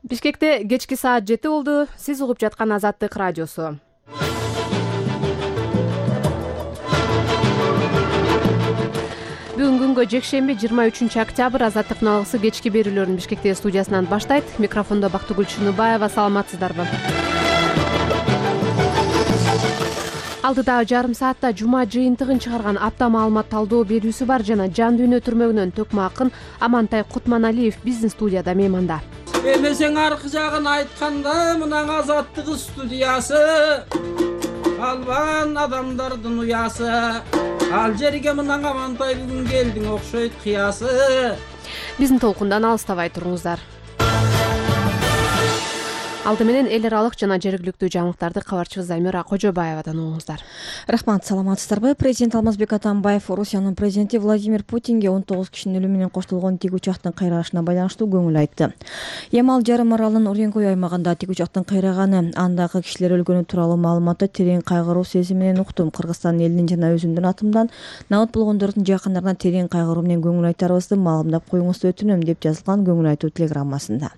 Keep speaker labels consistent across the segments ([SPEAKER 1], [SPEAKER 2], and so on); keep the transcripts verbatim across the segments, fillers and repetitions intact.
[SPEAKER 1] Бишкекте кечки саат жети болду. Сиз угуп жаткан Азаттык радиосу. Бүгүн күнгө жекшемби жыйырма үчүнчү октябрь Азаттыктын алгысы кечки берүүлөрүн Бишкектеги студиясынан баштайт. Микрофондо Бактыгүл Чыныбаева. Саламатсыздарбы? Алдыдагы жарым саатта жума жыйынтыгын чыгарган апта маалымат талдоо берүүсү бар жана жан дүйнө түрмөгүнөн төкмө акын Амантай Кутманалиев биздин студияда мейманда.
[SPEAKER 2] Эмесең аркы жагын айтканда мынан Азаттык студиясы албан адамдардын уясы. Ал жерге мынан Амантай бүгүн келдиң окшойт кыясы.
[SPEAKER 1] Биздин толкундан алыстабай туруңуздар. Алды менен эл аралык жана жергиликтүү жаңылыктарды кабарчыбыз Замира Кожобаевадан угуңуздар.
[SPEAKER 3] Рахмат, саламатсыздарбы? Президент Алмазбек Атамбаев Орусиянын президенти Владимир Путинге он тогуз кишинин өлүмү менен коштолгон тик учактын кыйрагышына байланыштуу көңүл айтты. Ямал жарым аралынын Уренгой аймагында тик учактын кыйраганы, андагы кишилер өлгөнү тууралуу маалыматты терең кайгыруу сезими менен уктум. Кыргызстан элинин жана өзүмдүн атымдан набыт болгондордун жакындарына терең кайгыруу менен көңүл айтарыбызды маалымдап коюңузду өтүнөм, деп жазылган көңүл айтуу телеграммасында.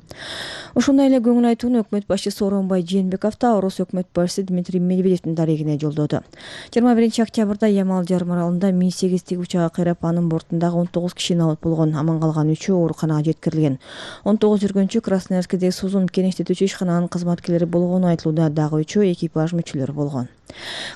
[SPEAKER 3] Ошондой эле көңүл айтууну өкмөт башчысы Сооронбай Жээнбеков да Орус өкмөт башчысы Дмитрий Медведевдин дарегине жолдоду. жыйырма биринчи октябрда Ямал жарым аралында Ми сегиз тик учагы кыйрап, анын бортундагы он тогуз киши набыт болгон, аман калган үчөө ооруканага жеткирилген. он тогуз жүргөнчү Красноярскидеги Сузун кенештетүүчү ишкананын кызматкерлери болгону айтылууда, дагы үчөө экипаж мүчөлөрү болгон.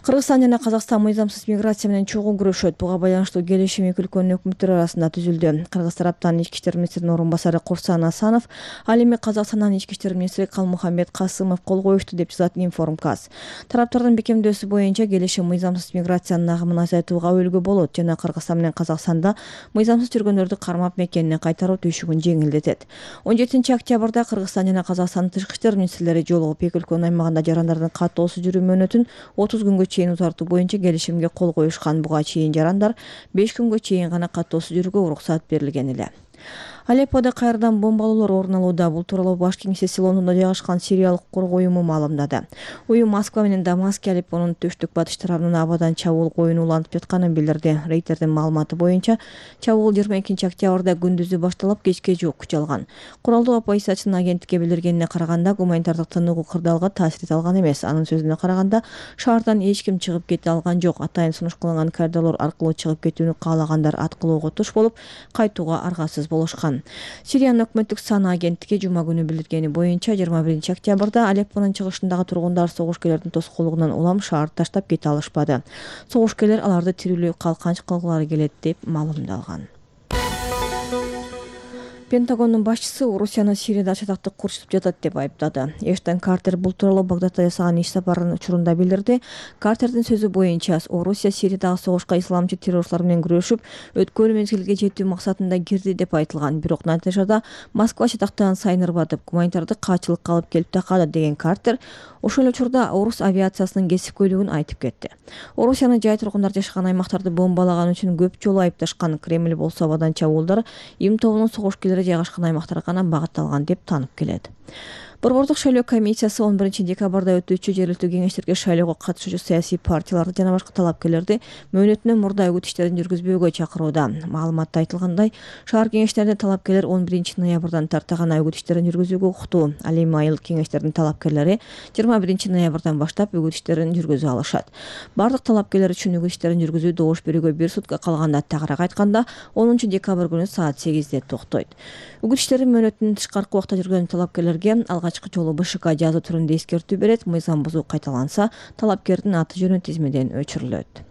[SPEAKER 3] Кыргызстан жана Казакстан мыйзамсыз миграция менен чогуу күрөшөт. Буга байланыштуу келишим эки өлкөнүн өкмөттөрү арасында түзүлдү. Кыргыз тараптан ички иштер министринин орун басары Курсан Асанов, ал эми Казакстандан ички иштер министри Калмухаммед Касымов кол коюшту, деп жазат Информказ. Тараптардын бекемдөөсү боюнча келишим мыйзамсыз миграциянын агымын азайтууга өбөлгө болот жана Кыргызстан менен Казакстанда мыйзамсыз жүргөндөрдү кармап мекенине кайтаруу түйшүгүн жеңилдетет. он жетинчи октябрда Кыргызстан жана Казакстандын тышкы иштер министрлери жолугуп, эки өлкөнүн аймагында жарандардын каттоосуз жүрүү мөөнөтүн отуз күнгө чейин узартуу боюнча келишимге кол коюшкан. Буга чейин жарандар беш күнгө чейин гана каттоосуз жүрүүгө уруксат берилген эле. Алепподо кайрадан бомбалоолор орун алууда. Бул тууралуу Баш кеңсеси Лондондо жайгашкан Сириялык коргоо уюму маалымдады. Уюм Москва менен Дамаск, Алеппонун төштүк батыш тарабынан абадан чабуул коюну улантып жатканын билдирди. Рейтердин маалыматы боюнча чабуул жыйырма экинчи октябрда күндүзү башталып, кечке жок күч алган. Куралдуу оппозициячынын агенттикке билдиргенине караганда, гуманитардык тыныгуу кырдаалга таасир эте алган эмес. Анын сөзүнө караганда, шаардан эч ким чыгып кете алган жок. Атайын сунуш кылынган коридорлор аркылуу чыгып кетүүнү каалагандар аткылоого туш болуп, кайтууга аргасыз болушкан. Сириянын өкмөттүк саны агенттиги жума күнү билдиргени боюнча жыйырма биринчи октябрда Алеппонун чыгышындагы тургундар согушкерлердин тоскоолдугунан улам шаарды таштап кете алышпады. Согушкерлер аларды тирүүлүү калканч кылгылары келет, деп маалымдалган. Пентагондун башчысы Орусияны Сирияда чатактык курчутуп жатат деп айыптады. Эштон Картер бул тууралуу Багдадда жасаган иш сапарынын учурунда билдирди. Картердин сөзү боюнча, Орусия Сириядагы согушка исламчы террорчулар менен күрөшүп, өткөн мезгилге жетүү максатында кирди деп айтылган. Бирок натыйжада Москва чатактаган сайын ырбатып, гуманитардык каачылыкка алып келип такады, деген Картер ошол учурда орус авиациясынын кесипкөйлүгүн айтып кетти. Орусияны жай тургундар жашаган аймактарды бомбалаган үчүн көп жолу айыпташкан. Кремль болсо абадан чабуулдар Им тобунун согушкерлери жайгашкан аймактарга гана багытталган деп таанып келет. Борбордук шайлоо комиссиясы он биринчи декабрда өтүүчү жергиликтүү кеңештерге шайлоого катышуучу саясий партияларды жана башка талапкерлерди мөөнөтүнөн мурда үгүт иштерин жүргүзбөөгө чакырууда. Маалыматта айтылгандай, шаар кеңештеринде талапкерлер он биринчи ноябрдан тарта гана үгүт иштерин жүргүзүүгө укуктуу. Ал эми айыл кеңештердин талапкерлери жыйырма биринчи ноябрдан баштап үгүт иштерин жүргүзө алышат. Бардык талапкерлер үчүн үгүт иштерин жүргүзүү добуш берүүгө бир сутка калганда, тагыраак айтканда онунчу декабрь күнү саат сегизде токтойт. Үгүт иштери мөөнөтүнүн тышкаркы убакта жүргөн талапкерлерге алгачкы жолу БШК жазуу түрүндө эскертүү берет. Мыйзам бузуу кайталанса, талапкердин аты жөнү тизмеден өчүрүлөт.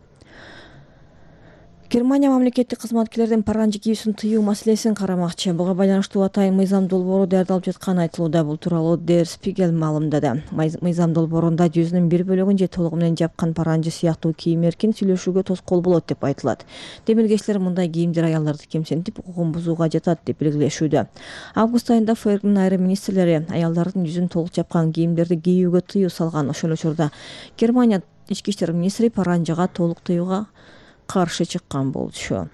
[SPEAKER 3] Германия мамлекеттик кызматкерлердин паранжы кийүүсүн тыюу маселесин карамакчы. Буга байланыштуу атайын мыйзам долбоору даярдалып жатканы айтылууда. Бул тууралуу Der Spiegel маалымдады. Мыйзам долбоорунда жүзүнүн бир бөлүгүн же толугу менен жапкан паранжы сыяктуу кийим эркин сүйлөшүүгө тоскоол болот деп айтылат. Демилгечилер мындай кийимдер аялдарды кемсинтип, укугун бузууга жатат деп белгилешүүдө. Август айында ФРГнын айрым министрлери аялдардын жүзүн толук жапкан кийимдерди кийүүгө тыюу салган. Ошол учурда Германия ички иштер министри паранжыга толук тыюуга каршы чыккан болчу.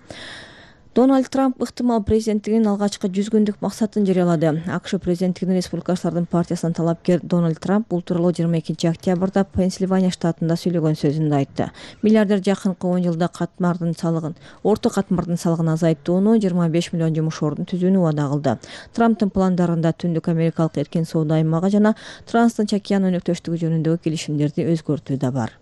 [SPEAKER 3] Дональд Трамп ыктымал президенттигинин алгачкы жүз күндүк максатын жарыялады. АКШ президенттигинин республикачылардын партиясынын талапкер Дональд Трамп бул тууралуу жыйырма экинчи октябрда Пенсильвания штатында сөйлөгөн сөзүндө айтты. Миллиардер жакынкы он жылда катмардын салыгын, орто катмардын салыгын азайттууну, жыйырма беш миллион жумуш ордун түзүүнү убада кылды. Трамптын пландарында Түндүк Америкалык эркин соода аймагы жана Транстынч океан өнөктөштүгү жөнүндөгү келишимдерди өзгөртүү да бар.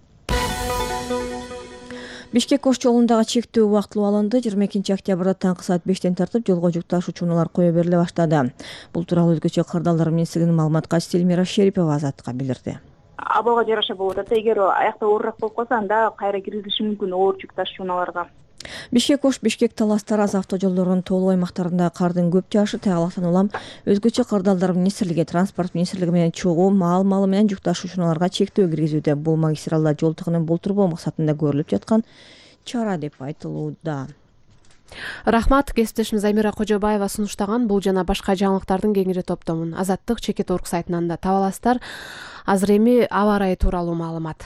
[SPEAKER 3] Бишкек Ош жолундагы чектөө убактылуу алынды. жыйырма экинчи октябрда таңкы саат бештен тартып жолго жүк ташуучу унаалар кое бериле баштады. Бул тууралуу өзгөчө кырдаалдар министрлигинин маалымат катчысы Эльмира Шерипова Азатка билдирди.
[SPEAKER 4] Абалга жараша болуп атат. Эгер аякта оорураак болуп калса, анда кайра киргизилиши мүмкүн оор жүк ташуучу унааларга.
[SPEAKER 3] Бишкек Ош Бишкек Талас Тараз автожолдорунун тоолуу аймактарында кардын көп жаашы тайгалактан улам өзгөчө кырдаалдар министрлиги, транспорт министрлиги менен чогуу мал малы менен жүк ташуучуларга чектөө киргизүүдө. Бул магистралда жол тыгынын болтурбоо максатында көрүлүп жаткан чара деп айтылууда.
[SPEAKER 1] Рахмат, кесиптешим Замира Кожобаева сунуштаган бул жана башка жаңылыктардын кеңири топтомун Азаттык Чекит Орг сайтынан да таба аласыздар. Азыр эми аба ырайы тууралуу маалымат.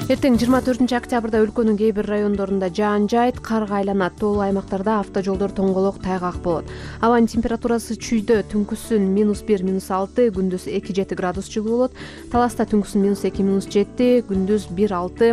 [SPEAKER 1] Эртең жыйырма төртүнчү октябрда өлкөнүн кээ бир райондорунда жаан жаайт, карга айланат. Тоолуу аймактарда автожолдор тоңголок, тайгак болот. Абанын температурасы чүйдө түнкүсүн минус бир, минус алты, күндүз эки жети градус жылуу болот. Таласта түнкүсүн минус эки, минус жети, күндүз бир алты.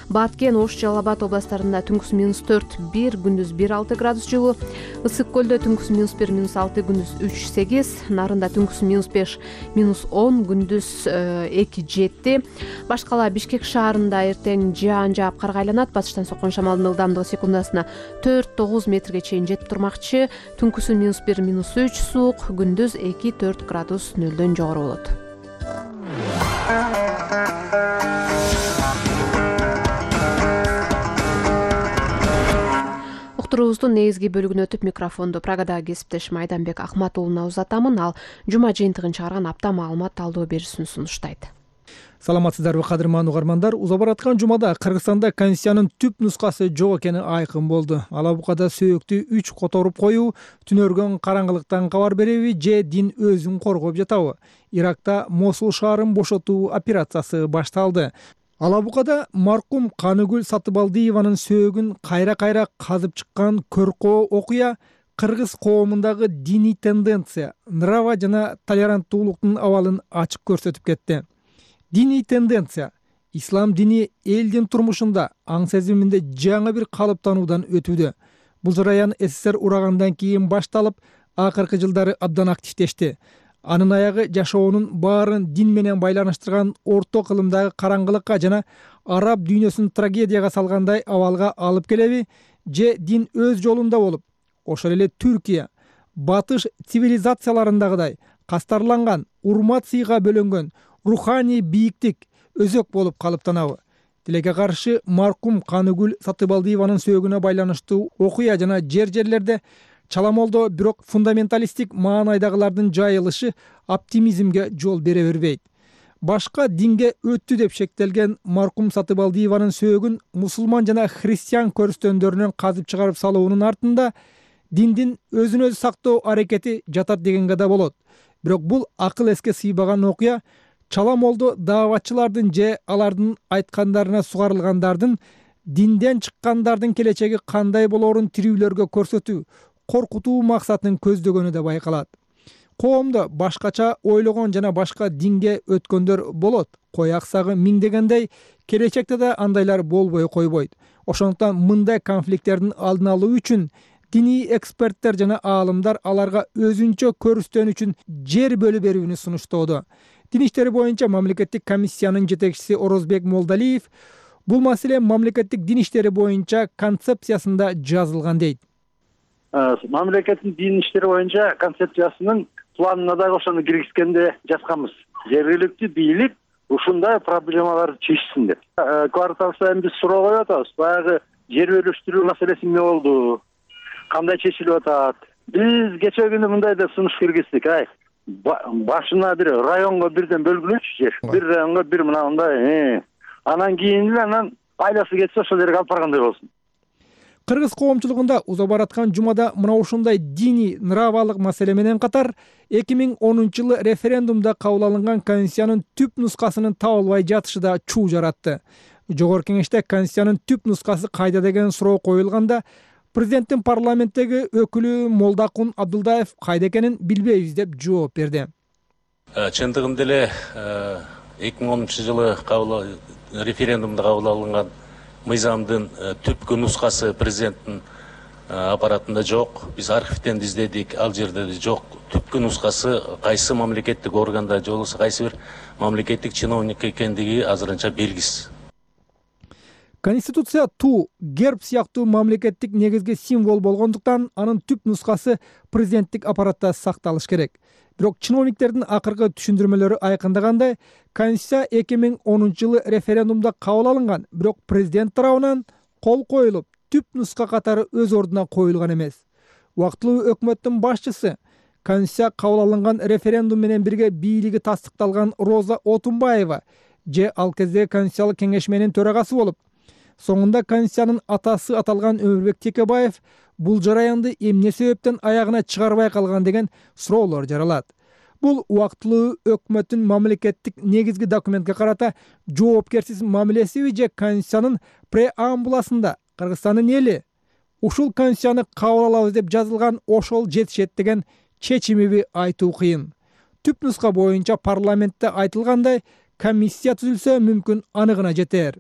[SPEAKER 1] Баткен, Ош, Жалал Абад областарында түнкүсүн минус төрт, бир, күндүз бир алты градус жылуу. Ысык көлдө түнкүсүн минус бир, минус алты, күндүз үч сегиз. Нарында түнкүсүн минус беш, минус он, күндүз эки жети. Башкала Бишкек шаарында эртең жаан жаап карга айланат. Батыштан соккон шамалдын ылдамдыгы секундасына төрт тогуз метрге чейин жетип турмакчы. Түнкүсүн минус бир, минус үч, суук, күндүз эки төрт градус нөлдөн жогору болот. Уктуруубуздун негизги бөлүгүнө өтүп, микрофонду Прагадагы кесиптешим Айданбек Акматуулуна узатамын. Ал жума жыйынтыгын чыгарган апта маалымат талдоо берүүсүн сунуштайт.
[SPEAKER 5] Саламатсыздарбы, кадырман угармандар. Уза бараткан жумада Кыргызстанда Конституциянын түп нускасы жок экени айкын болду. Алабукада сөөктү үч которуп коюу, түнөргөн караңгылыктан кабар береби же дин өзүн коргоп жатабы? Иракта Мосул шаарын бошотуу операциясы башталды. Алабукада маркум Каныгүл Сатыбалдиеванын сөөгүн кайра-кайра казып чыккан көркөө окуя кыргыз коомундагы диний тенденция, нрава жана толеранттуулуктун абалын ачык көрсөтүп кетти. Диний тенденция ислам дини элдин турмушунда, аң сезиминде жаңы бир калыптануудан өтүүдө. Бул жараян СССР урагандан кийин башталып, акыркы жылдары абдан активдешти. Анын аягы жашоонун баарын дин менен байланыштырган орто кылымдагы караңгылыкка жана араб дүйнөсүн трагедияга салгандай абалга алып келеби, же дин өз жолунда болуп, ошол эле Түркия, батыш цивилизацияларындагыдай кастарланган, урмат сыйга бөлөнгөн руханий бийиктик өзөк болуп калыптанабы? Тилекке каршы маркум Каныгүл Сатыбалдиеванын сөөгүнө байланыштуу окуя жана жер-жерлерде чаламолдо бирок фундаменталисттик маанайдагылардын жайылышы оптимизмге жол бере бербейт. Башка динге өттү деп шектелген маркум Сатыбалдиеванын сөөгүн мусулман жана христиан көрүстөндөрүнөн казып чыгарып салуунун артында диндин өзүн өзү сактоо аракети жатат дегенге да болот. Бирок бул акыл эске сыйбаган окуя чаламолдо дааватчылардын же алардын айткандарына сугарылгандардын динден чыккандардын келечеги кандай болоорун тирүүлөргө көрсөтүү, коркутуу максатын көздөгөнү да байкалат. Коомдо башкача ойлогон жана башка динге өткөндөр болот. Кой аксагы миңдегендей, келечекте да андайлар болбой койбойт. Ошондуктан мындай конфликттердин алдын алуу үчүн диний эксперттер жана аалымдар аларга өзүнчө көрүстөн үчүн жер бөлүп берүүнү сунуштоодо. Дин иштери боюнча мамлекеттик комиссиянын жетекчиси Орозбек Молдалиев бул маселе мамлекеттик дин иштери боюнча концепциясында жазылган дейт.
[SPEAKER 6] Мамлекеттин дин иштери боюнча концепциясынын планына дагы ошону киргизгенде жазганбыз. Жергиликтүү бийлик ушундай проблемаларды чечсин деп. Квартал сайын биз суроо коюп атабыз. Баягы жер бөлүштүрүү маселеси эмне болду? Кандай чечилип атат? Биз кечээ күнү мындай деп сунуш киргиздик. Ай, башына бир районго бирден бөлгүлөчү жер. Бир районго бир мына мындай. Анан кийин эле анан айласы кетсе ошол жерге алып баргандай болсун.
[SPEAKER 5] Кыргыз коомчулугунда уза бараткан жумада мына ушундай диний нравалык маселе менен катар эки миң онунчу жылы референдумда кабыл алынган конституциянын түп нускасынын табылбай жатышы да чуу жаратты. Жогорку кеңеште Конституциянын түп нускасы кайда деген суроо коюлганда президенттин парламенттеги өкүлү Молдакун Абдулдаев кайда экенин билбейбиз деп жооп берди.
[SPEAKER 7] Чындыгында эле эки миң онунчу жылы референдумда кабыл алынган мыйзамдын түпкү нускасы президенттин аппаратында жок. Биз архивден издедик, ал жерде жок. Түпкү нускасы кайсы мамлекеттик органда же болбосо кайсы бир мамлекеттик чиновник экендиги азырынча белгисиз.
[SPEAKER 5] Конституция ту, герб сыяктуу мамлекеттик негизги символ болгондуктан анын түп нускасы президенттик аппаратта сакталыш керек. Бирок чиновниктердин акыркы түшүндүрмөлөрү айкындагандай, Конституция эки миң онунчу жылы референдумда кабыл алынган, бирок президент тарабынан кол коюлуп, түп нуска катары өз ордуна коюлган эмес. Убактылуу өкмөттүн башчысы Конституция кабыл алынган референдум менен бирге бийлиги тастыкталган Роза Отунбаева же ал кезде Конституциялык кеңешменин төрагасы болуп, соңунда Конституциянын атасы аталган Өмүрбек Текебаев бул жараянды эмне себептен аягына чыгарбай калган деген суроолор жаралат. Бул убактылуу өкмөттүн мамлекеттик негизги документке карата жоопкерсиз мамилесиби же Конституциянын преамбуласында Кыргызстандын эли ушул Конституцияны кабыл алабыз деп жазылган ошол жетишет деген чечимиби айтуу кыйын. Түп нуска боюнча парламентте айтылгандай комиссия түзүлсө мүмкүн аныгына жетер.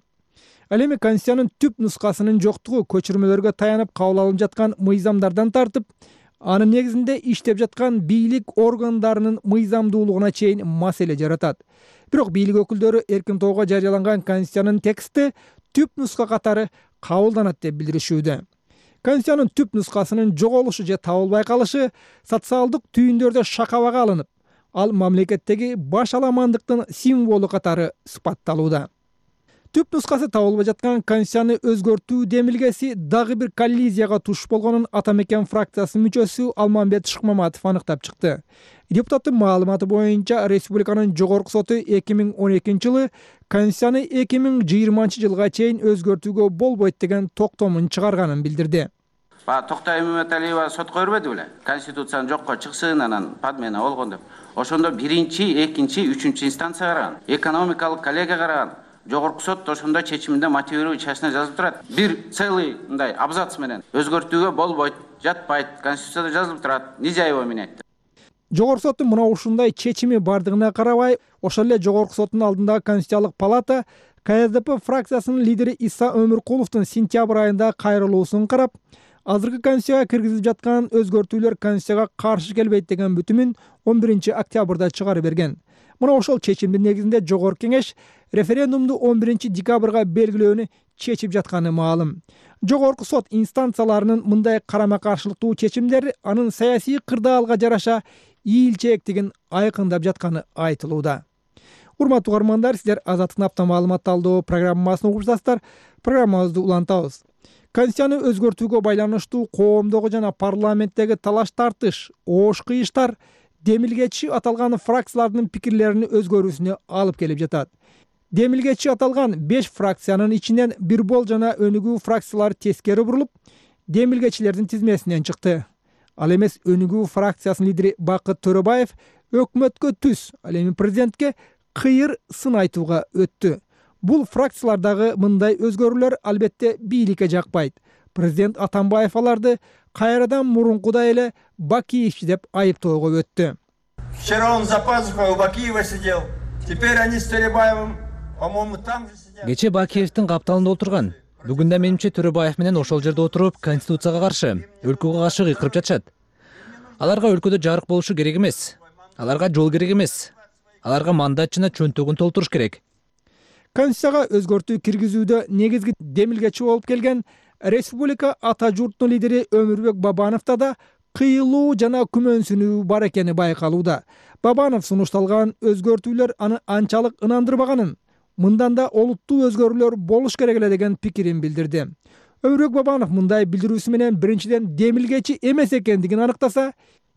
[SPEAKER 5] Ал эми Конституциянын түп нускасынын жоктугу көчүрмөлөргө таянып кабыл алынып жаткан мыйзамдардан тартып, анын негизинде иштеп жаткан бийлик органдарынын мыйзамдуулугуна чейин маселе жаратат. Бирок бийлик өкүлдөрү эркин тоого жарыяланган Конституциянын тексти түп нуска катары кабылданат деп билдиришүүдө. Конституциянын түп нускасынын жоголушу же табылбай калышы социалдык түйүндөрдө шакабага алынып, ал мамлекеттеги баш аламандыктын символу катары сыпатталууда. Түп нускасы табылбай жаткан Конституцияны өзгөртүү демилгеси дагы бир коллизияга туш болгонун Ата мекен фракциясынын мүчөсү Алмамбет Шыкмаматов аныктап чыкты. Депутаттын маалыматы боюнча республиканын жогорку соту эки миң он экинчи жылы Конституцияны эки миң жыйырманчы жылга чейин өзгөртүүгө болбойт деген токтомун чыгарганын билдирди.
[SPEAKER 8] Токтой Мөмөталиева сотко бербеди беле? Конституцияны жокко чыксын, анан подмена болгон деп. Ошондо биринчи, экинчи, үчүнчү инстанция караган, экономикалык коллегия караган. Жогорку сот ошондо чечиминде мотивирующий частина жазылып турат. Бир целый мындай абзац менен өзгөртүүгө болбойт, жатпайт, Конституцияда жазылып турат. Нижаева менен айтты.
[SPEAKER 5] Жогорку соттун мына ушундай чечими бардыгына карабай, ошол эле Жогорку соттун алдындагы Конституциялык палата Ка Эс Д П фракциясынын лидери Иса Өмүркуловдун сентябрь айында кайрылуусун карап, азыркы Конституцияга киргизилип жаткан өзгөртүүлөр Конституцияга каршы келбейт деген бүтүмүн он биринчи октябрда чыгарып берген. Мына ошол чечимдин негизинде Жогорку кеңеш референдумду он биринчи декабрга белгилөөнү чечип жатканы маалым. Жогорку сот инстанцияларынын мындай карама каршылыктуу чечимдери анын саясий кырдаалга жараша ийилчээктигин айкындап жатканы айтылууда. Урматтуу угармандар, сиздер Азаттыктын апта маалымат талдоо программасын угуп жатасыздар. Программабызды улантабыз. Конституцияны өзгөртүүгө байланыштуу коомдогу жана парламенттеги талаш тартыш, оош кыйыштар демилгечи аталган фракциялардын пикирлеринин өзгөрүүсүнө алып келип жатат. Демилгечи аталган беш фракциянын ичинен Бирбол жана Өнүгүү фракциялары тескери бурулуп, демилгечилердин тизмесинен чыкты. Ал эмес Өнүгүү фракциясынын лидери Бакыт Төрөбаев өкмөткө түз, ал эми президентке кыйыр сын айтууга өттү. Бул фракциялардагы мындай өзгөрүүлөр албетте бийликке жакпайт. Президент Атамбаев аларды кайрадан мурункудай эле Бакиевчи деп айыптоого өттү.
[SPEAKER 9] Вчера он за пазухой у Бакиева сидел. Теперь они с Төрөбаевым, по-моему, там же сидят.
[SPEAKER 10] Кече Бакиевдин капталында отурган. Бүгүн да менимче Төрөбаев менен ошол жерде отуруп, Конституцияга каршы, өлкөгө каршы кыйкырып жатышат. Аларга өлкөдө жарык болушу керек эмес. Аларга жол керек эмес. Аларга мандат жана чөнтөгүн толтуруш керек.
[SPEAKER 5] Конституцияга өзгөртүү киргизүүдө негизги демилгечи болуп келген республика ата журтунун лидери Өмүрбек Бабановдо да кыйылуу жана күмөнсүнүү бар экени байкалууда. Бабанов сунушталган өзгөртүүлөр аны анчалык ынандырбаганын, мындан да олуттуу өзгөрүүлөр болуш керек эле деген пикирин билдирди. Өмүрбек Бабанов мындай билдирүүсү менен биринчиден демилгечи эмес экендигин аныктаса,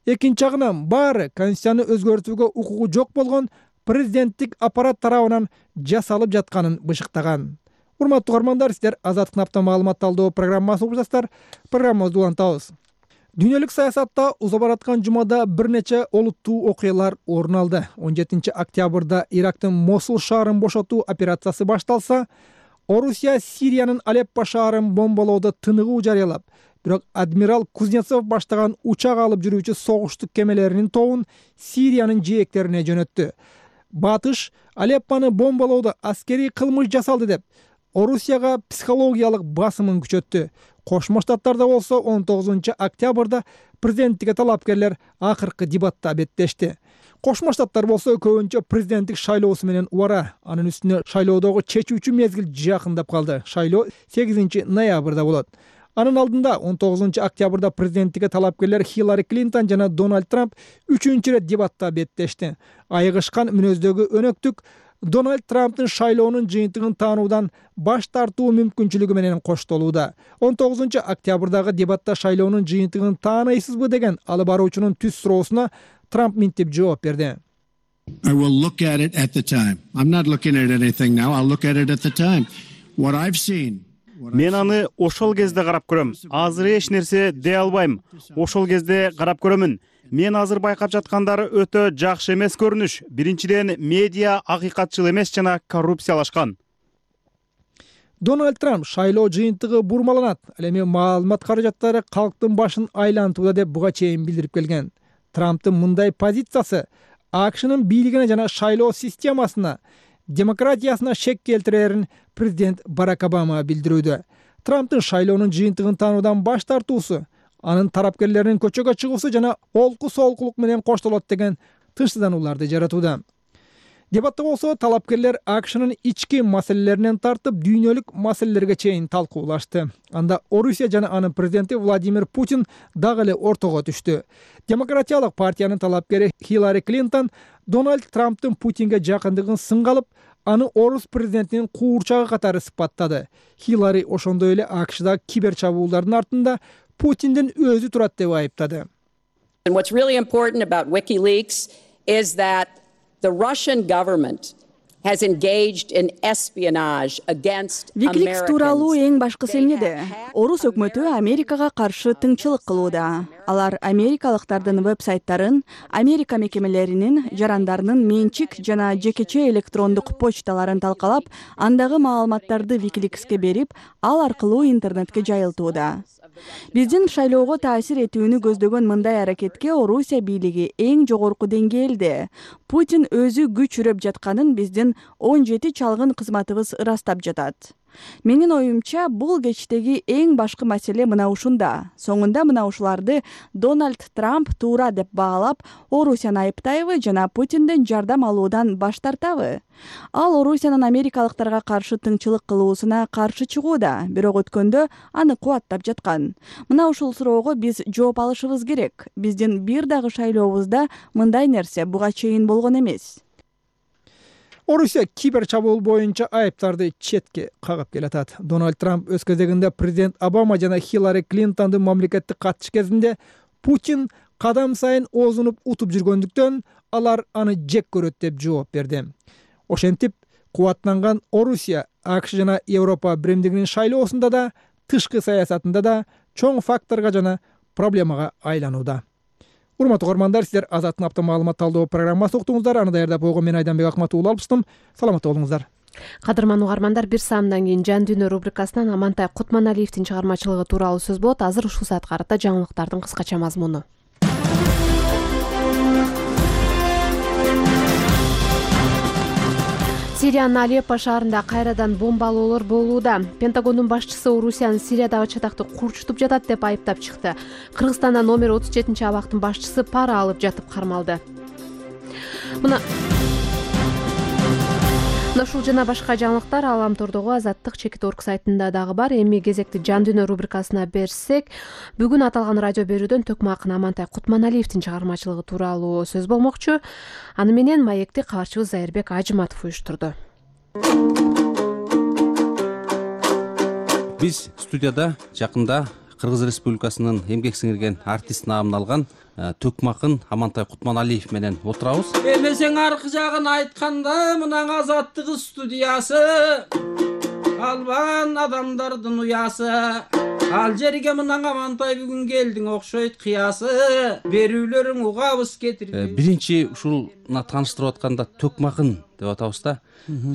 [SPEAKER 5] экинчи жагынан баары Конституцияны өзгөртүүгө укугу жок болгон президенттик аппарат тарабынан жасалып жатканын бышыктаган. Урматтуу угармандар, сиздер Азаттыктын апта маалымат талдоо программасын угуп жатасыздар. Программабызды улантабыз. Дүйнөлүк саясатта уза бараткан жумада бир нече олуттуу окуялар орун алды. он жетинчи октябрда Ирактын Мосул шаарын бошотуу операциясы башталса, Орусия Сириянын Алеппо шаарын бомбалоодо тыныгуу жарыялап, бирок адмирал Кузнецов баштаган учак алып жүрүүчү согуштук кемелеринин тобун Сириянын жээктерине жөнөттү. Батыш Алеппону бомбалоодо аскерий кылмыш жасалды деп Орусияга психологиялык басымын күчөттү. Кошмо Штаттарда болсо он тогузунчу октябрда президенттикке талапкерлер акыркы дебатта беттешти. Кошмо Штаттар болсо көбүнчө президенттик шайлоосу менен убара. Анын үстүнө шайлоодогу чечүүчү мезгил жакындап калды. Шайлоо сегизинчи ноябрда болот. Анын алдында он тогузунчу октябрда президенттикке талапкерлер Хиллари Клинтон жана Дональд Трамп үчүнчү ирет дебатта беттешти. Айыгышкан мүнөздөгү өнөктүк Дональд Трамптын шайлоонун жыйынтыгын таануудан баш тартуу мүмкүнчүлүгү менен коштолууда. он тогузунчу октябрдагы дебатта шайлоонун жыйынтыгын таанайсызбы деген алып баруучунун түз суроосуна Трамп мынтип жооп берди.
[SPEAKER 11] I will look at it at the time. I'm not looking at anything now. I'll look at it at the time. What I've seen.
[SPEAKER 12] Мен аны ошол кезде карап көрөм. Азыр эч нерсе дей албайм. Ошол кезде карап көрөмүн. Мен азыр байкап жаткандары өтө жакшы эмес көрүнүш. Биринчиден, медиа акыйкатчыл эмес жана коррупциялашкан.
[SPEAKER 5] Дональд Трамп шайлоо жыйынтыгы бурмаланат, ал эми маалымат каражаттары калктын башын айлантууда деп буга чейин билдирип келген. Трамптын мындай позициясы АКШнын бийлигине жана шайлоо системасына, демократиясына шек келтирерин президент Барак Обама билдирүүдө. Трамптын шайлоонун жыйынтыгын таануудан баш тартуусу, анын тарапкерлеринин көчөгө чыгуусу жана олку солкулук менен коштолот деген тынчсызданууларды жаратууда. Дебатта болсо талапкерлер АКШнын ички маселелеринен тартып дүйнөлүк маселелерге чейин талкуулашты. Анда Орусия жана анын президенти Владимир Путин дагы эле ортого түштү. Демократиялык партиянын талапкери Хиллари Клинтон Дональд Трамптын Путинге жакындыгын сынга алып, аны орус президентинин куурчагы катары сыпаттады. Хиллари ошондой эле АКШда кибер чабуулдардын артында Путиндин өзү турат деп айыптады.
[SPEAKER 13] And what's really important about WikiLeaks is that the Russian government has engaged in espionage against Americans.
[SPEAKER 14] WikiLeaks тууралуу эң башкысы эмнеде? Орус өкмөтү Америкага каршы тыңчылык кылууда. Алар америкалыктардын веб-сайттарын, Америка мекемелеринин, жарандарынын менчик жана жекече электрондук почталарын талкалап, андагы маалыматтарды WikiLeaksке берип, ал аркылуу интернетке жайылтууда. Биздин шайлоого таасир этүүнү көздөгөн мындай аракетке Орусия бийлиги эң жогорку деңгээлде. Путин өзү күч үрөп жатканын биздин он жети чалгын кызматыбыз ырастап жатат. Менин оюмча, бул кечтеги эң башкы маселе мына ушунда. Соңунда мына ушуларды Дональд Трамп туура деп баалап, Орусияны айыптайбы жана Путинден жардам алуудан баш тартабы? Ал Орусиянын америкалыктарга каршы тыңчылык кылуусуна каршы чыгууда, бирок өткөндө аны кубаттап жаткан. Мына ушул суроого биз жооп алышыбыз керек. Биздин бир дагы шайлообузда мындай нерсе буга чейин болгон эмес.
[SPEAKER 5] Орусия кибер чабуул боюнча айыптарды четке кагып келатат. Дональд Трамп өз кезегинде президент Обама жана Хиллари Клинтондун мамлекеттик катыш кезинде Путин кадам сайын оозунуп утуп жүргөндүктөн алар аны жек көрөт деп жооп берди. Ошентип, кубаттанган Орусия АКШ жана Европа биримдигинин шайлоосунда да, тышкы саясатында да чоң факторго жана проблемага айланууда. Урматтуу угармандар, сиздер Азаттын апта маалымат талдоо программасы уктуңуздар. Аны даярдап койгон мен Айданбек Акматуулу алыптым. Саламатта болуңуздар.
[SPEAKER 1] Кадырман угармандар, бир саамдан кийин Жан дүйнө рубрикасынан Амантай Кутманалиевдин чыгармачылыгы тууралуу сөз болот. Азыр ушул саатка карата жаңылыктардын кыскача мазмуну. Сириянын Алеппо шаарында кайрадан бомбалоолор болууда. Пентагондун башчысы Орусиянын Сириядагы чатакты курчутуп жатат деп айыптап чыкты. Кыргызстанда номер отуз жетинчи абактын башчысы пара алып жатып кармалды. Мына ушул жана башка жаңылыктар Аламтордогу Азаттык чекит орг сайтында дагы бар. Эми кезекти Жан дүйнө рубрикасына берсек, бүгүн аталган радио берүүдөн Төкмө акын Амантай Кутманалиевдин чыгармачылыгы тууралуу сөз болмокчу. Аны менен маекти кабарчыбыз Зайырбек Ажыматов уюштурду.
[SPEAKER 15] Биз студияда жакында Кыргыз Республикасынын эмгек сиңирген артист наамын алган Төкмө акын Амантай Кутманалиев менен отурабыз.
[SPEAKER 2] Эмесең аркы жагын айтканда, мынан Азаттык студиясы, албан адамдардын уясы. ал жерге мындан амантай бүгүн келдиң окшойт кыясы, берүүлөрүң угабыз кетирди.
[SPEAKER 15] Биринчи ушул мына тааныштырып атканда төкмакын деп атабыз да.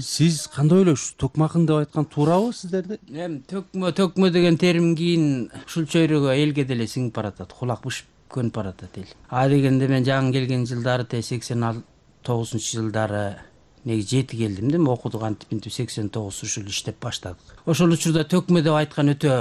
[SPEAKER 15] Сиз кандай ойлойсуз? Төкмакын деп айткан туурабы сиздерде?
[SPEAKER 2] Эми төкмө төкмө деген терим кийин ушул чөйрөгө элге деле сиңип баратат, кулак бышып көнүп баратат эл. А дегенде мен жаңы келген жылдары те сексен тогузунчу жылдары негизи жети келдим да, окудук антип мынтип сексен тогуз ушул иштеп баштадык. Ошол учурда төкмө деп айткан өтө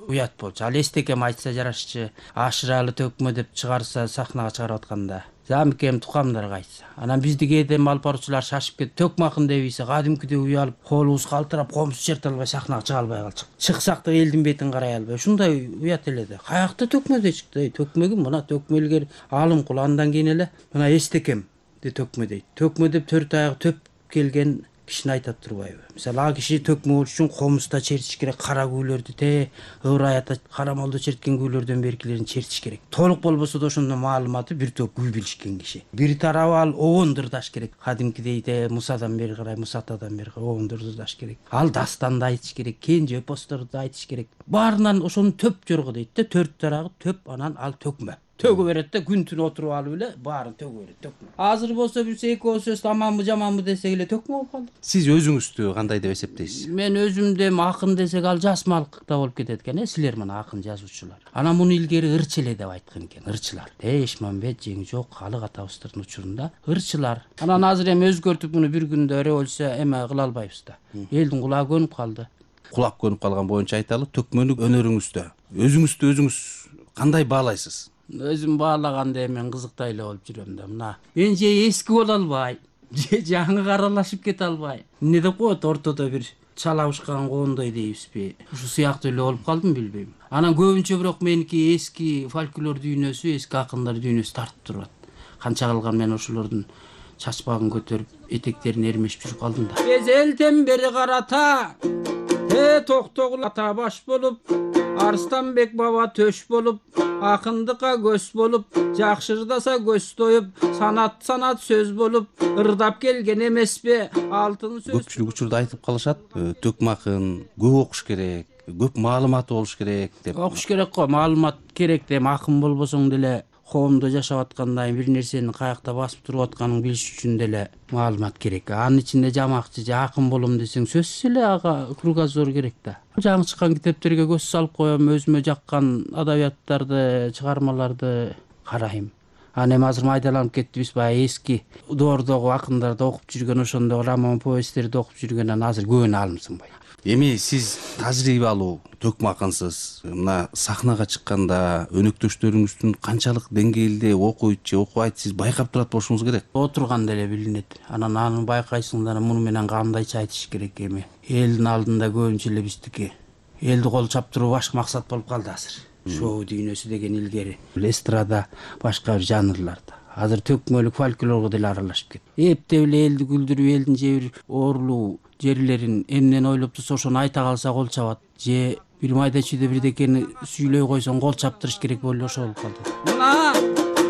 [SPEAKER 2] уят болчу. Ал эстекем айтса жарашчы, ашыралы төкмө деп чыгарса сахнага чыгарып атканда. Замикем тукамдарга айтса. Анан бизди кээде алып баруучулар шашып кетип, төкмакын дейбиз, кадимкидей уялып, колубуз калтырап, комузду черте албай сахнага чыга албай калчык. Чыксак да элдин бетин карай албай. Ушундай уят эле да. Каякта төкмө дейт чыкты. Төкмөгү мына төкмө илгери алым кул, андан кийин эле мына эстекем де төкмө дейт. Төкмө деп төрт аягы төп келген кишини айтат турбайбы? Мисалы, а киши төкмө болуш үчүн комузда чертиш керек, кара күүлөрдү те, ыбыр аята карамолдо черткен күүлөрдөн беркилерин чертиш керек. Толук болбосо да ошондо маалыматы бир топ күү билишкен киши. Бир тарабы ал обондурдаш керек. Кадимкидей де Мусадан бери карай, Мусатадан бери карай обондурдаш керек. Ал дастанды айтыш керек, кенже эпосторду айтыш керек. Баарынан ошонун төп жорго дейт да, төрт тарагы төп, анан ал төкмө. Төгө берет да, күн түн отуруп алып эле баарын төгө берет, төкмө. Азыр болсо бирсе эки сөз аманбы жаманбы десек эле төкмө болуп калды.
[SPEAKER 15] Сиз өзүңүздү кандай деп эсептейсиз?
[SPEAKER 2] Мен өзүмдү акын десек ал жасмалыкта болуп кетет экен, э, силер мына акын жазуучулар. Анан муну илгери ырчы эле деп айткан экен, ырчылар. Э, Эшмамбет, Жеңжок, Алык атабыздын учурунда ырчылар. Анан азыр эми өзгөртүп муну бир күндө революция эме кыла албайбыз да. Элдин кулагы көнүп калды.
[SPEAKER 15] Кулак көнүп калган боюнча айталы, төкмөнү өнөрүңүздө өзүңүздү өзүңүз кандай баалайсыз?
[SPEAKER 2] Өзүм баалаганда мен кызыктай эле болуп жүрөм да. Мына мен же эски боло албай, же жаңы аралашып кете албай. Эмне деп коет, ортодо бир чалабышкан коондой дейбизби? Ушу сыяктуу эле болуп калдым, билбейм. Анан көбүнчө бирок меники эски фольклор дүйнөсү, эски акындар дүйнөсү тартып турат. Канча калган мен ошолордун чачпагын көтөрүп, этектерин эрмешип жүрүп калдым да. Кезелтен бери карата, э токтогул ата баш болуп, Арстанбек баба төш болуп, акындыкка көз болуп, жакшырдаса көз тоюп, санат санат сөз болуп, ырдап келген эмеспи алтын сөз.
[SPEAKER 15] Көпчүлүк учурда айтып калышат, төкмакын көп окуш керек, көп маалыматы болуш керек деп.
[SPEAKER 2] Окуш керек го, маалымат керек деп, акын болбосоң деле коомдо жашап атканда бир нерсени каякта басып туруп атканын билиш үчүн деле маалымат керек. Анын ичинде жамакчы же акын болом десең сөзсүз эле ага кругозор керек да. Жаңы чыккан китептерге көз салып коем, өзүмө жаккан адабияттарды, чыгармаларды карайм. Анан эми азыр майдаланып кеттибиз, баягы эски доордогу акындарды окуп жүргөн, ошондо роман повесттерди окуп жүргөндөн азыр көбүнө алым сынбайт.
[SPEAKER 15] Эми сиз тажрыйба алуу төкмакынсыз, мына сахнага чыкканда өнөктөштөрүңүздүн канчалык деңгээлде окуйт же окубайт, сиз байкап турат болушуңуз керек.
[SPEAKER 2] Отурганда эле билинет. Анан аны байкайсың да, муну менен кандайча айтыш керек эми. Элдин алдында көбүнчө эле биздики элди кол чаптыруу башка максат болуп калды азыр. Шоу дүйнөсү деген илгери эстрада башка бир жанрларда. Азыр төкмөлүк фольклорго деле аралашып кетти. Эптеп эле элди күлдүрүп, элдин же бир оорулуу жерлерин эмнени ойлоп турса ошону айта калса кол чабат, же бир майда чүйдө бирдекени сүйлөй койсоң кол чаптырыш керек болуп ошол болуп калды. Мына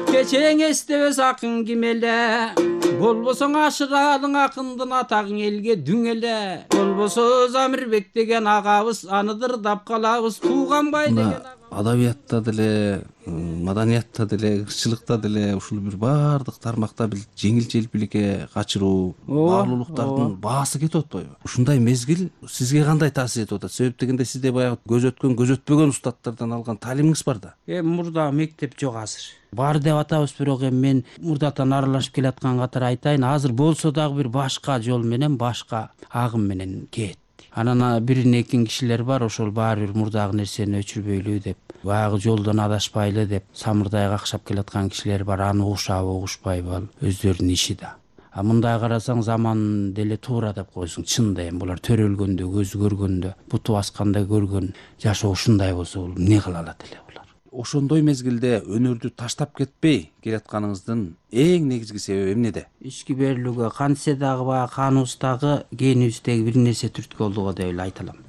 [SPEAKER 2] кечең эстебес акын ким эле, болбосоң ашыралың акындын атагың элге дүң эле. Болбосо Замирбек деген агабыз, аны дырдап калабыз, Тууганбай деген
[SPEAKER 15] адабиятта деле, маданиятта деле, ырчылыкта деле ушул бир баардык тармакта бир жеңил желпиликке качыруу, баалуулуктардын баасы кетип атпайбы? Ушундай мезгил сизге кандай таасир этип атат? Себеп дегенде сизде баягы көз өткөн, көз өтпөгөн устаттардан алган таалимиңиз бар да. Эми
[SPEAKER 2] мурда мектеп жок азыр. Бар деп атабыз, бирок эми мен мурдатан аралашып келаткан катары айтайын, азыр болсо дагы бир башка жол менен, башка агым менен кетти. Анан бирин экин кишилер бар, ошол баары бир мурдагы нерсени өчүрбөйлү деп, баягы жолдон адашпайлы деп самырдай какшап келаткан кишилер бар. Аны угушабы, угушпайбы, ал өздөрүнүн иши да. А мындай карасаң заман деле туура деп койсуң. Чында эми булар төрөлгөндө, көзү көргөндө, буту басканда көргөн жашоо ушундай болсо бул эмне кыла алат эле булар?
[SPEAKER 15] Ошондой мезгилде өнөрдү таштап кетпей келатканыңыздын эң негизги себеби эмнеде?
[SPEAKER 2] Ички берилүүгө, кантсе дагы баягы каныбыздагы, генибиздеги бир нерсе түрткү болдуго деп эле айта алам.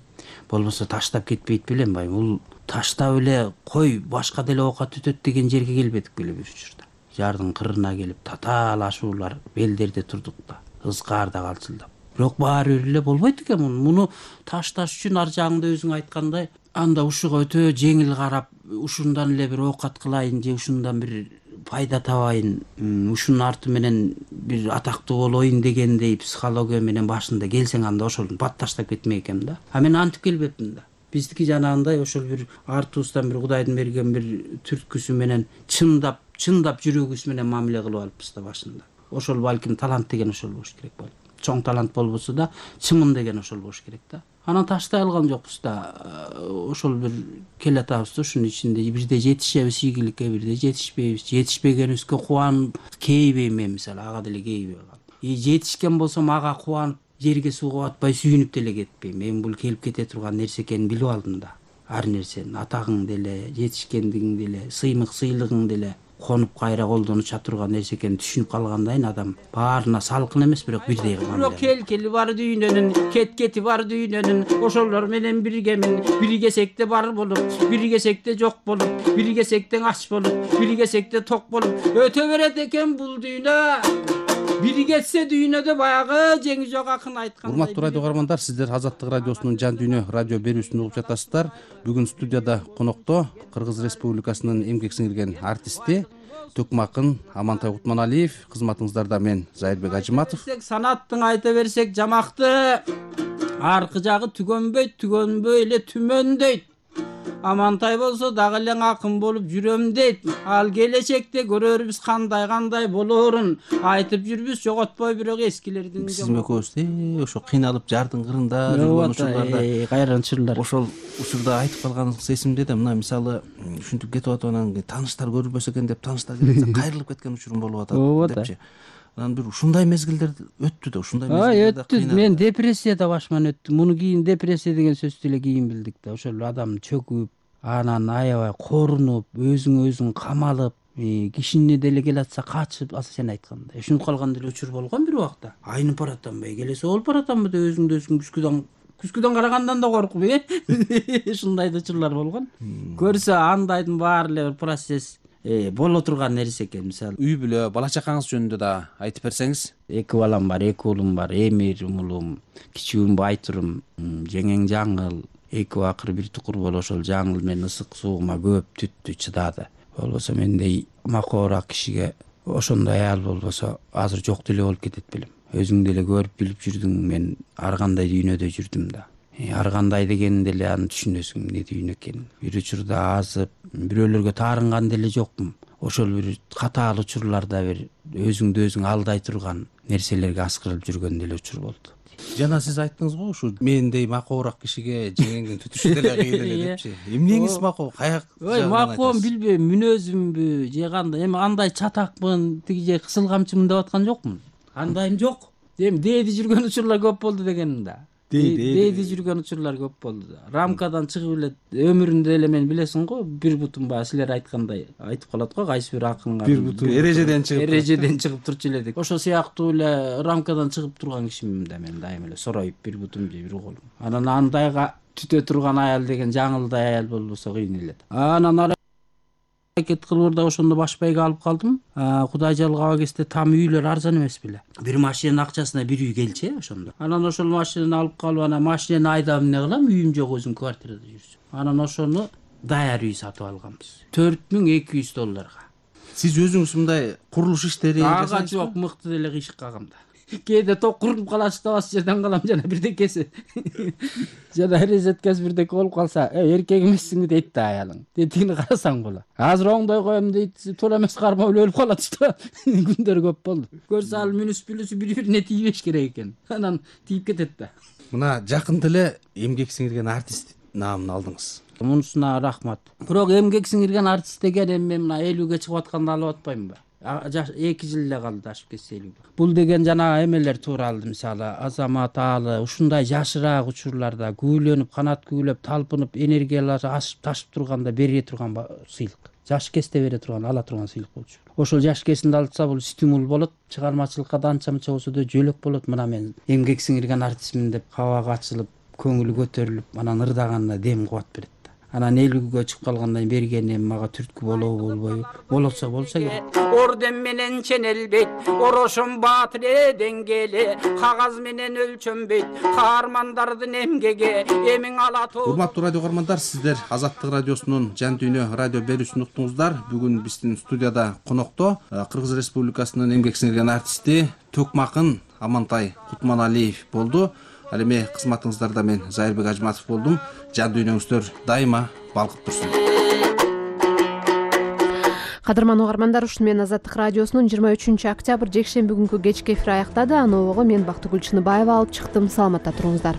[SPEAKER 2] Болбосо таштап кетпейт белем, бай. Бул таштап эле кой башка деле оокат өтөт деген жерге келбедик беле бир учурда. Жардын кырына келип татаалашуулар белдерде турдук да, ызгаарда калчылдап. Бирок баары бир эле болбойт экен муну. Муну ташташ үчүн ар жагында өзүң айткандай анда ушуга өтө жеңил карап, ушундан эле бир оокат кылайын же ушундан бир пайда табайын, ушунун арты менен бир атактуу болоюн дегендей психология менен башында келсең, анда ошол бат таштап кетмек экем да. А мен антип келбепмин да. Биздики жанагындай ошол бир артыбыздан бир Кудайдын берген бир түрткүсү менен чындап, чындап жүрөгүбүз менен мамиле кылып алыппыз да башында. Ошол балким талант деген ошол болуш керек балким. Чоң талант болбосо да, чымын деген ошол болуш керек да. Анан таштай алган жокпуз да. Ошол бир келе атабыз да, ушунун ичинде бирде жетишебиз ийгиликке, бирде жетишпейбиз. Жетишпегенибизге кубанып кейбейм мен, мисалы, ага деле кейбей калам. И жетишкен болсом ага кубанып жерге сууга батпай сүйүнүп деле кетпейм. Мен бул келип кете турган нерсе экенин билип алдым да. Ар нерсенин, атагың деле, жетишкендигиң деле, сыймык сыйлыгың деле конуп кайра колдон уча турган нерсе экенин түшүнүп калгандайын адам баарына салкын эмес, бирок бирдей кылган. Бирок кел кели бар дүйнөнүн, кет кети бар дүйнөнүн, ошолор менен биргемин. Биргесекте бар болуп, биргесекте жок болуп, биргесекте ач болуп, биргесекте ток болуп өтө берет экен бул дүйнө. Биргетсе дүйнөдө баягы жеңи жок акын айткан.
[SPEAKER 15] Урматтуу радио угармандар, сиздер Азаттык радиосунун Жан дүйнө радио берүүсүн угуп жатасыздар. Бүгүн студияда конокто Кыргыз Республикасынын эмгек сиңирген артисти, төкмакын Амантай Кутманалиев, кызматыңыздарда мен Зайырбек Ажыматов.
[SPEAKER 2] Санаттың айта берсек жамакты, аркы жагы түгөнбөйт, түгөнбөй эле түмөндөйт. Амантай болсо дагы эле акын болуп жүрөм дейт. Ал келечекте көрөрбүз кандай кандай болоорун. Айтып жүрбүз жоготпой бирок эскилердин.
[SPEAKER 15] Сиз экөөбүз ошо кыйналып жардын кырында жүргөн учурларда,
[SPEAKER 2] кайран учурлар.
[SPEAKER 15] Ошол учурда айтып калганыңыз эсимде да. Мына мисалы ушинтип кетип атып, анан тааныштар көрүнбөсө экен деп тааныштар келсе кайрылып кеткен учурум болуп атат депчи. Анан бир ушундай мезгилдер өттү да, ушундай мезгилдерде
[SPEAKER 2] өттү. Мен депрессияда башман өттүм. Муну кийин депрессия деген сөздү эле кийин билдик да. Ошол адам чөкүп, анан аябай корунуп, өзүң өзүң камалып, кишини деле келатса качып, азыр сен айткандай ушинтип калган деле учур болгон бир убакта. Айнып баратамбы, келесе болуп баратамбы деп өзүңдү өзүң күзгүдөн күзгүдөн карагандан да коркуп, э? Ушундай учурлар болгон. Көрсө андайдын баары эле бир процесс боло турган нерсе экен. Мисалы,
[SPEAKER 15] үй бүлө, бала чакаңыз жөнүндө да айтып берсеңиз.
[SPEAKER 2] Эки балам бар, эки уулум бар. Эмир уулум, кичүүм Байтурум, жеңең Жаңыл. Эки акыр бир тукур болуп, ошол Жаңыл менен ысык суугума көп түттү, чыдады. Болбосо мендей макоораак кишиге ошондой аял болбосо азыр жок деле болуп кетет белем. Өзүң деле көрүп билип жүрдүң, мен ар кандай дүйнөдө жүрдүм да. Ар кандай дегенин деле аны түшүнөсүң, эмне дүйнө экенин. Бир учурда азып, бирөөлөргө таарынган деле жокмун. Ошол бир катаал учурларда бир өзүңдү өзүң алдай турган нерселерге аскырылып жүргөн деле учур болду.
[SPEAKER 15] Жана сиз айттыңыз го, ушу мендей макоораак кишиге жеңеңдин түтүшү деле кыйын эле депчи. Эмнеңиз макоо? Каяк?
[SPEAKER 2] Ой, макоом билбейм, мүнөзүмбү, же кандай, эми андай чатакмын, тиги же кысыл камчымын деп аткан жокмун. Андайым жок. Эми дээди жүргөн учурлар көп болду дегеним да. Дээди жүргөн учурлар көп болду да. Рамкадан чыгып эле өмүрүндө эле мен билесиң го, бир бутум баягы силер айткандай айтып калат го, кайсы бир акынга
[SPEAKER 15] бир бутум эрежеден чыгып
[SPEAKER 2] эрежеден чыгып турчу эле деп. Ошол сыяктуу эле рамкадан чыгып турган кишимин да мен дайыма эле сороюп бир бутум же бир колум. Анан андайга түтө турган аял деген Жаңылдай аял болбосо кыйын эле. Анан аракет кылып да ошондо баш байга алып калдым. Кудай жалгава кезде там үйлөр арзан эмес беле. Бир машинанын акчасына бир үй келчи ошондо. Анан ошол машинаны алып калып, анан машинени айдап эмне кылам, үйүм жок, өзүм квартирада жүрсүм. Анан ошону даяр үй сатып алганбыз. төрт миң эки жүз долларга.
[SPEAKER 15] Сиз өзүңүз мындай курулуш иштери
[SPEAKER 2] жасайсызбы? Ага жок, мыкты деле кыйшык кагам да. Кээде ток куруп калат, табас жерден калам, жана бирдекеси. Жана резеткасы бирдеке болуп калса, эркек эмессиңби дейт да аялың. Тетигине карасаң болот. Азыр оңдой коем дейт, туура эмес кармап эле өлүп калат да. Күндөр көп болду. Көрсө ал мүнүс бүлүсү бири-бирине тийбеш керек экен. Анан тийип кетет да.
[SPEAKER 15] Мына жакында эле эмгек сиңирген артист наамын алдыңыз.
[SPEAKER 2] Мунусуна рахмат. Бирок эмгек сиңирген артист деген эми мына элүүгө чыгып атканда алып атпаймынбы? эки жыл эле калды ашып кетсе элүүгө. Бул деген жана эмелер тууралды, мисалы Азамат Аалы ушундай жашыраак учурларда күбөлөнүп, канат күбөлөп, талпынып, энергиялары ашып ташып турганда бере турган сыйлык. Жаш кезде бере турган, ала турган сыйлык болчу. Ошол жаш кезинде алса бул стимул болот, чыгармачылыкка да анча-мынча болсо да жөлөк болот. Мына мен эмгек сиңирген артистмин деп кабагы ачылып, көңүлү көтөрүлүп, анан ырдаганына дем кубат берет. анан эл күгө чыгып калгандан бергени эми мага түрткү болобу болбойбу, болсо болсо керек.
[SPEAKER 16] Орден менен ченелбейт, орошон баатыр деңгели, кагаз менен өлчөнбөйт, каармандардын эмгеги эмиң алатуу.
[SPEAKER 15] Урматтуу радио угармандар, сиздер Азаттык радиосунун Жан дүйнө радио берүүсүн уктуңуздар. Бүгүн биздин студияда конокто Кыргыз Республикасынын эмгек сиңирген артисти Төкмакын Амантай Кутманалиев болду. Ал эми кызматыңыздарда мен Зайырбек Ажматов болдум. Жан дүйнөңүздөр дайыма балкып турсун.
[SPEAKER 1] Кадырман угармандар, ушуну менен Азаттык радиосунун жыйырма үчүнчү октябрь жекшемби күнкү кечки эфири аяктады. Аны обого мен Бактыгүл Чыныбаева алып чыктым. Саламатта туруңуздар.